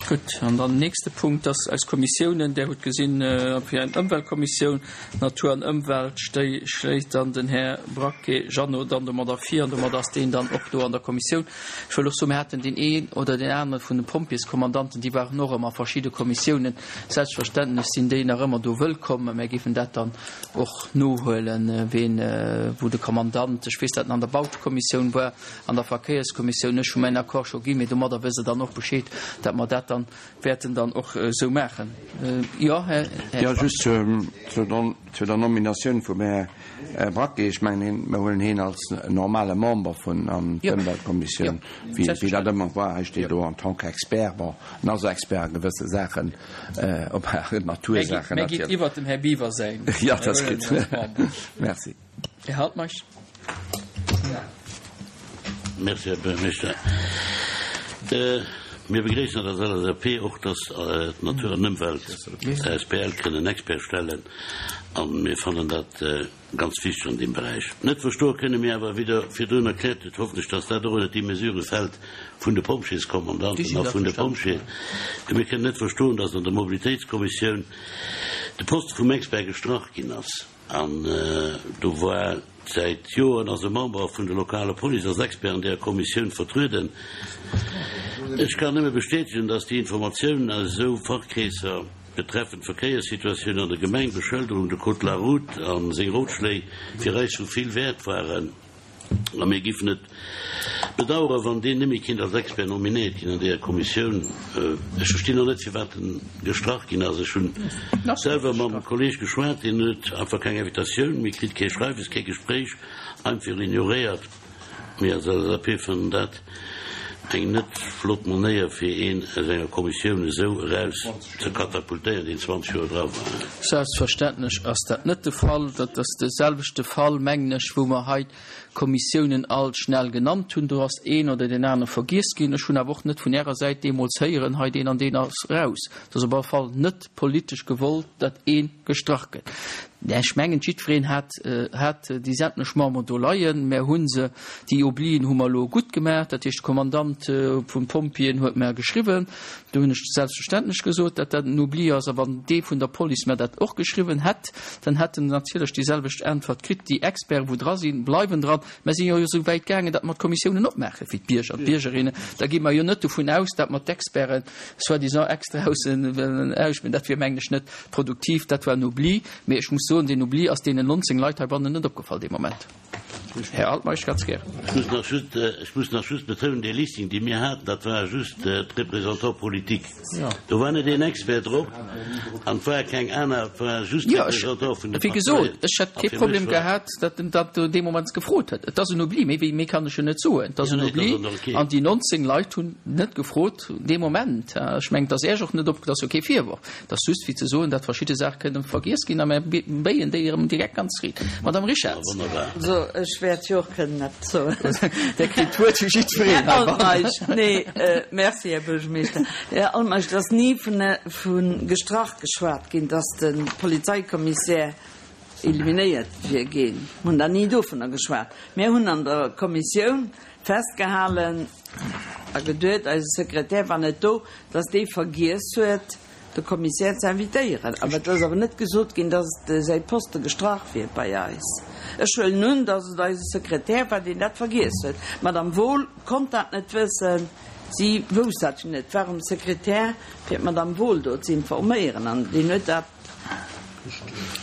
Gutt, an dann den nächste Punkt ass eis Kommissiounen. Där hutt gesinn, fir eng Ëmweltkommissioun, Natur an Ëmwelt, schléit dann den Här Braquet Jeannot dann domadder vir an domadder ass deen dann och do an der Kommissioun. Ech wëll och soen, mir haten deen een oder deen anere vun de Pompjeeskommandanten, déi waren och ëmmer a verschidde Kommissiounen. Selbstverständlech sinn déi nach ëmmer do wëllkomm. Mär géifen dat dann och nohuelen, ween, wou de Kommandant, ech weess, dat en an der Bautekommissioun war, an der Verkéierskommissioun, ech hu mäin Accord scho ginn, mee domadder wësst Der dann och Bescheed, datt mer dat dann wäerten dann och esou maachen. Jo, Här Jo, Schwack. just zu der Nominatioun vum Här Braquet. Ech mengen, mir huelen hien als normale Member vun an d'Ëmweltkommissioun, wéi dat ëmmer war. Hei steet elo en tant qu'expert. Bon, en ass Expert a gewësse Saachen, op Natursaachen Mä gitt natierlech. iwwert dem Här Biwer säin. Jo, dat ass gutt. Merci. Här Altmeisch. Merci, Här Buergermeeschter. Mir begréissen dat als LSAP och, dass d'Natur an Ëmwelt asbl kënnen en Expert stellen a mir fannen dat ganz wichteg an deem Beräich. Net verstoe kënne mir awer, wéi Der virdrun erkläert hutt, hoffen ech, dass dat och ënnert déi Mesure fält vun de Pompjeeskommandanten a vun de Pompjeeën. Mir kënnen net verstoen, dass an der Mobilitéitskommissioun de Poste vum Expert gestrach ginn ass. An do war säit Joren ass e Member vun der lokaler Police als Expert an deeër Kommissioun vertrueden. Ech kann nëmme bestätegen, dass déi Informatiounen aus esou Fachkreesser betreffend d'Verkéierssituatioun an der Gemeng, Beschëlderung, de Code de la route a seng Rotschléi fir eis vu vill Wäert waren. A mir giffen et bedauern, wann deen net méi kinnt als Expert nominéiert ginn an deeër Kommissioun. Ech verstinn och net, firwat en gestrach ginn ass. Ech hunn selwer mam Kolleg geschwat, deen huet einfach keng Invitatioun méi kritt, kee Schreiwes, kee Gespréich, einfach ignoréiert. Mir als LSAP fannen dat eng net flott Manéier, fir een aus enger Kommissioun esou eraus ze katapultéieren, deen 20 Joer dra war. Selbstverständlech ass dat net de Fall. Dat ass de selwechte Fall, mengen ech, wou mer hei d'Kommissiounen alt schnell genannt hunn. Do ass een oder deen anere vergiess ginn. Ech hunn awer och net vun Ärer Säit deemools héieren, hei deen an deen ass raus. Et ass op alle Fall net politesch gewollt, datt ee gestrach gëtt. Ech mengen, jiddwereen hat, hat déi sämtlech Memberen do leien. Mär hu se, déi Oblien hu mer elo gutt gemaach. Dat heescht, de Kommandant vun Pompjeeën huet mer geschriwwen. Do hunn ech selbstverständlech gesot, datt dat en Oubli ass. A wann dee vun der Police mer dat och geschriwwen hätt, dann hätt en natierlech déi selwecht Äntwert kritt. Déi Experten, wou dra sinn, bleiwen dran. Mer si jo esou wäit gaangen, datt mer d'Kommissiounen opmaache fir d'Bierger, d'Biergerinnen. Da gi mer jo net dovun aus, datt mer d'Experten soi-disant extra wëllen ausspillen. Dat wier, mengen ech, net produktiv. Dat war en Oubli. Mee ech muss soen, deen Oubli ass deenen 19 Leit heibannen net opgefall dee Moment. Här Altmeisch, ganz gär. Ech muss nach just, ech muss nach just betounen, dee Listing, dee mir haten, dat ware just d'Représentants politiques. Do war net een Expert drop an et ware keng aner, et ware just Jo, ech, d'Représentants vun de wéi gesot, Parteien. ech hätt A kee fir mech Problem war. gehat, datt en dat dee Moment gefrot hätt. Et ass en Oubli, méi wéi méi kann ech jo net soen. Et ass Jo, en nee, dat Oubli ass och okay. an déi 19 Leit hunn net gefrot dee Moment. Ech mengen, et ass Iech och net op, et ass jo kee Virworf. Et ass just fir ze soen, datt verschidde Saache kënnen vergiess ginn a mär béien déi erëm direkt ganz riit. Madame Richarz. Wonnerbar. So, ech wäert jo och kënnen eppes soen. Där kritt d'Wuert wéi jiddwereen Här heibannen. Altmeisch, nee, merci, Här Buergermeeschter. Här Altmeisch, et ass ni vu gestrach geschwat ginn, datt de Polizeikommissär eliminéiert wier ginn. Mir hunn da ni dovunner geschwat. Mir hunn an der Kommissioun festgehalen a geduet, eise Sekretär war net do, datt dee vergiess huet, de Kommissär ze invitéieren. Awer et ass awer net gesot ginn, datt säi Poste gestrach wier bei eis. Ech huelen un, datt et eise Sekretär war, deen dat vergiess huet. D'Madame Wohl konnt dat net wëssen, si wousst dat jo net. Et war um Sekretär, fir d'Madame Wohl do ze informéieren, an deen huet dat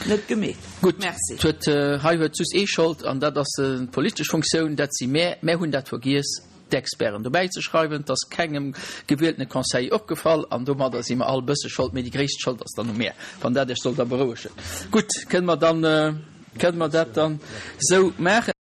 net gemeet. Gutt, Merci. huet, hei huet just ee Schold, an dat ass d'politesch Funktioun, dat si mär. Mär hunn dat vergiess. d'Experten dobäi ze schreiwen. 't ass kengem gewieltene Conseiller opgefall an domadder si mer all e bësse Schold, mee déi gréisst Schold ass dann u mär, wann dat Iech soll da berouegen. Gutt, kënne mer dann, kënne mer dat dann esou maachen?